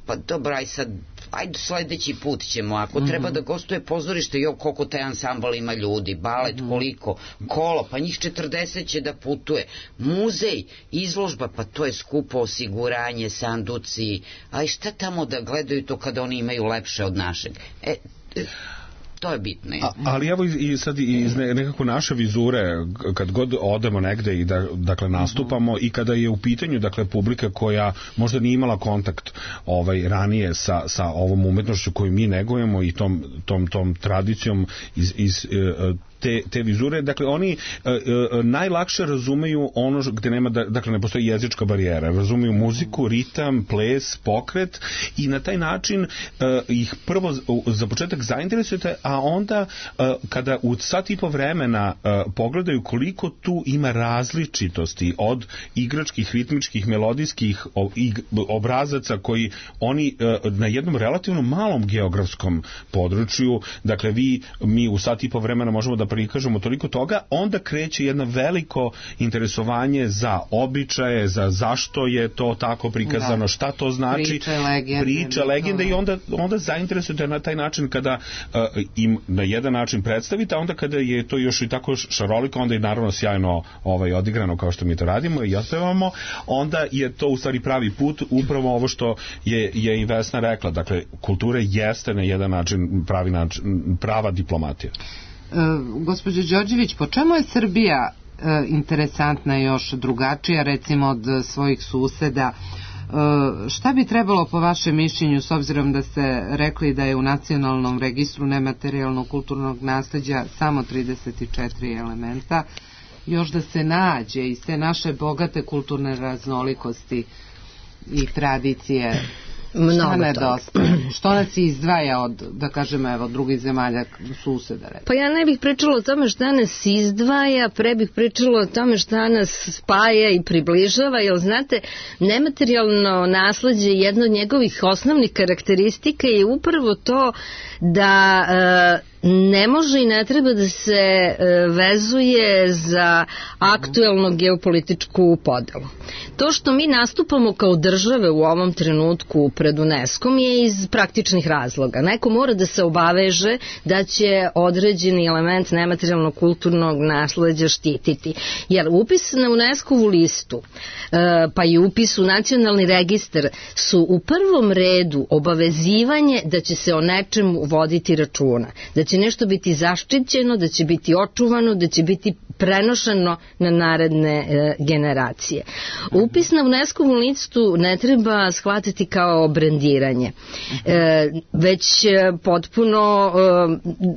pa dobro, aj sad, ajde sledeći put ćemo, ako treba da gostuje pozorište, koliko taj ansambal ima ljudi, balet, koliko, kolo, pa njih 40 će da putuje, muzej, izložba, pa to je skupo osiguranje, sanduci, aj šta tamo da gledaju to kada oni imaju lepše od našeg? To je bitno. Ali evo i sad iz nekako naše vizure, kad god odemo negde i dakle nastupamo i kada je u pitanju dakle publika koja možda nije imala kontakt ranije sa ovom umetnošću koju mi negujemo i tom tradicijom iz te vizure, dakle oni najlakše razumeju ono gde nema, dakle ne postoji jezička barijera, razumeju muziku, ritam, ples, pokret i na taj način ih prvo za početak zainteresujete, a onda kada u sat i po vremena pogledaju koliko tu ima različitosti od igračkih, ritmičkih, melodijskih obrazaca koji oni na jednom relativno malom geografskom području, dakle mi u sat i po vremena možemo da prikažemo toliko toga, onda kreće jedno veliko interesovanje za običaje, za zašto je to tako prikazano, šta to znači, priča, legende i onda zainteresujete na taj način kada im na jedan način predstavite, a onda kada je to još i tako šaroliko, onda je naravno sjajno odigrano kao što mi to radimo i ospevamo, onda je to u stvari pravi put, upravo ovo što je i Vesna rekla, dakle kultura jeste na jedan način prava diplomatija. Gospođo Đorđević, po čemu je Srbija interesantna još drugačija recimo od svojih suseda? Šta bi trebalo po vašem mišljenju, s obzirom da ste rekli da je u nacionalnom registru nematerijalnog kulturnog nasleđa samo 34 elementa, još da se nađe iz te naše bogate kulturne raznolikosti i tradicije? Šta nedostaje? Što nas izdvaja od, da kažemo, evo, drugih zemalja suseda? Pa ja ne bih pričala o tome šta nas izdvaja, pre bih pričala o tome šta nas spaja i približava, jer znate, nematerijalno nasleđe, jedna od njegovih osnovnih karakteristika je upravo to da ne može i ne treba da se vezuje za aktuelnu geopolitičku podelu. To što mi nastupamo kao države u ovom trenutku pred UNESCO-om je iz praktičnih razloga. Neko mora da se obaveže da će određeni element nematerijalnog kulturnog nasleđa štititi. Jer upis na UNESCO-ovu listu, pa i upis u nacionalni registar su u prvom redu obavezivanje da će se o nečemu voditi računa, da će nešto biti zaštićeno, da će biti očuvano, da će biti prenošeno na naredne generacije. Upis na UNESCO-vu listu ne treba shvatiti kao brendiranje, već potpuno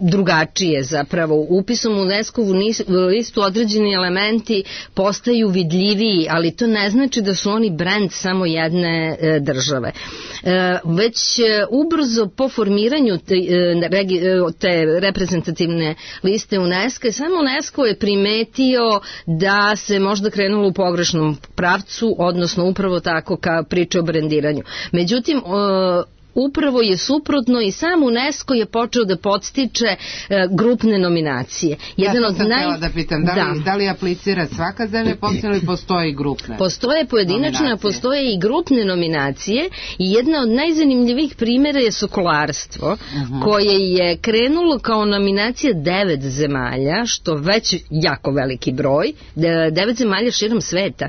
drugačije zapravo. Upisom u UNESCO-vu listu određeni elementi postaju vidljiviji, ali to ne znači da su oni brend samo jedne države. Već ubrzo po formiranju te reprezentativne liste UNESCO, samo UNESCO je primetio da se možda krenulo u pogrešnom pravcu, odnosno upravo tako ka priče o brendiranju. Međutim, upravo je suprotno i sam UNESCO je počeo da podstiče grupne nominacije. Ja sam htjela da pitam, da li aplicira svaka zemlja ili postoji grupne? Postoje pojedinačne, postoje i grupne nominacije i jedna od najzanimljivijih primjera je sokolarstvo, koje je krenulo kao nominacija 9 zemalja, što već jako veliki broj, 9 zemalja širom sveta,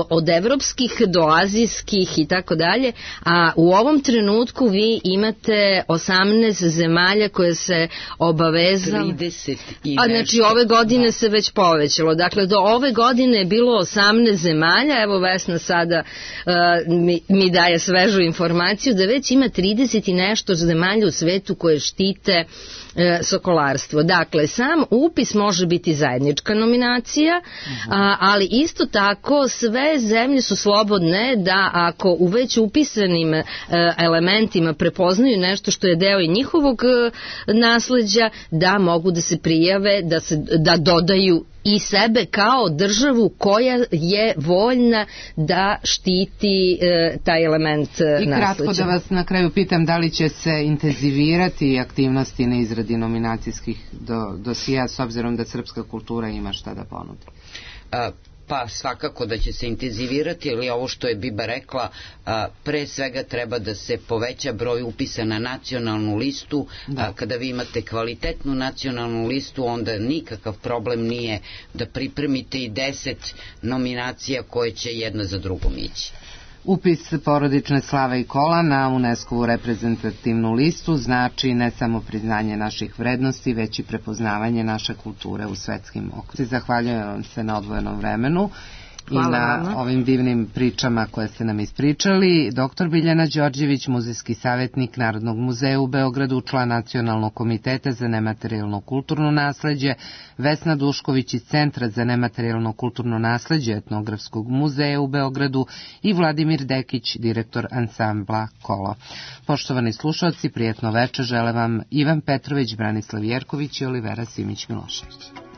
od evropskih do azijskih i tako dalje, a u ovom trenutku vi imate 18 zemalja koje se obavezalo. 30 i znači ove godine se već povećalo. Dakle, do ove godine je bilo 18 zemalja, evo Vesna sada mi daje svežu informaciju da već ima 30 i nešto zemalja u svetu koje štite sokolarstvo. Dakle, sam upis može biti zajednička nominacija, ali isto tako sve zemlje su slobodne da ako u već upisanim elementima prepoznaju nešto što je deo i njihovog nasleđa, da mogu da se prijave, da dodaju i sebe kao državu koja je voljna da štiti taj element nasleđa. I kratko da vas na kraju pitam, da li će se intenzivirati aktivnosti na izradi nominacijskih dosija s obzirom da srpska kultura ima šta da ponudi? Pa svakako da će se intenzivirati, ali ovo što je Biba rekla, pre svega treba da se poveća broj upisa na nacionalnu listu. Kada vi imate kvalitetnu nacionalnu listu, onda nikakav problem nije da pripremite i 10 nominacija koje će jedna za drugom ići. Upis porodične slave i kola na UNESCO-vu reprezentativnu listu znači ne samo priznanje naših vrednosti, već i prepoznavanje naše kulture u svetskim okvirima. Zahvaljujem vam se na odvojenom vremenu i na ovim divnim pričama koje ste nam ispričali. Dr. Biljana Đorđević, muzejski savjetnik Narodnog muzeja u Beogradu, član Nacionalnog komiteta za nematerijalno kulturno nasleđe, Vesna Dušković iz Centra za nematerijalno kulturno nasleđe Etnografskog muzeja u Beogradu i Vladimir Dekić, direktor ansambla Kolo. Poštovani slušalci, prijetno večer žele vam Ivan Petrović, Branislav Jerković i Olivera Simić-Milošević.